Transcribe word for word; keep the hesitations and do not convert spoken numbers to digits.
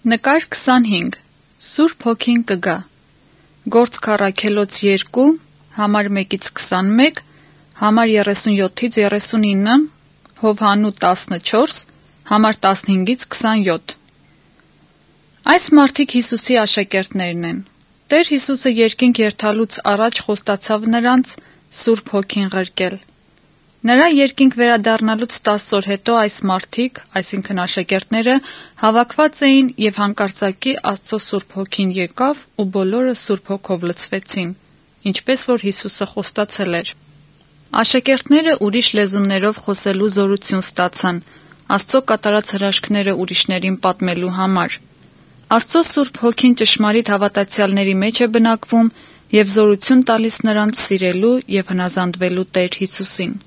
Նկար քսանհինգ. Սուրբ Հոգին կգա։ Գործք առաքելոց երկու, համար մեկից քսանմեկ, համար երեսունյոթից երեսունինը, Հովհաննու տասնչորս, համար տասնհինգից քսանյոթ։ Այս մարդիկ Հիսուսի աշակերտներն են։ Տեր Հիսուսը երկինք երթալուց առաջ խոստացավ նրանց Սուրբ Հոգին ղրկել։ Նրա երկինք վերադառնալուց տասը օր հետո այս մարդիկ, այսինքն աշակերտները, հավաքված էին եւ հանկարծակի Աստծո Սուրբ Հոգին եկավ ու բոլորը Սուրբ Հոգով լցվեցին, ինչպես որ Հիսուսը խոստացել էր։ Աշակերտները ուրիշ լեզուներով խոսելու զորություն ստացան, Աստծո կատարած հրաշքները ուրիշներին պատմելու համար։ Աստծո Սուրբ Հոգին ճշմարիտ հավատացյալների մեջ է բնակվում եւ զորություն տալիս նրանց սիրելու եւ հնազանդվելու Տեր Հիսուսին։